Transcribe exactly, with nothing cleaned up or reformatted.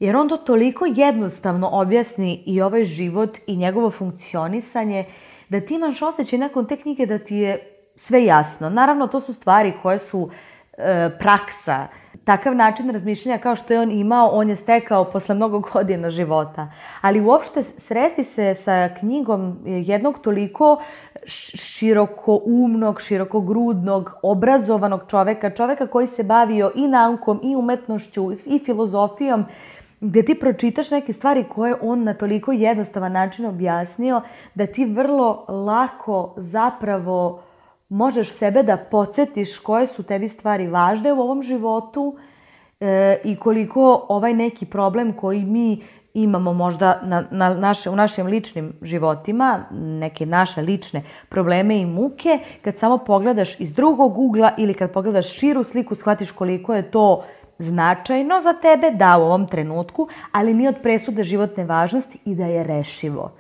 Jer on to toliko jednostavno objasni i ovaj život i njegovo funkcionisanje, da ti imaš osjećaj nakon te knjige da ti je sve jasno. Naravno, to su stvari koje su e, praksa. Takav način razmišljanja kao što je on imao, on je stekao posle mnogo godina života. Ali uopšte sresti se sa knjigom jednog toliko širokoumnog, širokogrudnog, obrazovanog čoveka, čoveka koji se bavio i naukom, i umetnošću, i filozofijom, gde ti pročitaš neke stvari koje on na toliko jednostavan način objasnio, da ti vrlo lako zapravo možeš sebe da podsjetiš koje su tebi stvari važne u ovom životu e, i koliko ovaj neki problem koji mi imamo možda na, na naše, u našim ličnim životima, neke naše lične probleme i muke, kad samo pogledaš iz drugog ugla ili kad pogledaš širu sliku, shvatiš koliko je to značajno za tebe, da, u ovom trenutku, ali nije od presude životne važnosti i da je rešivo.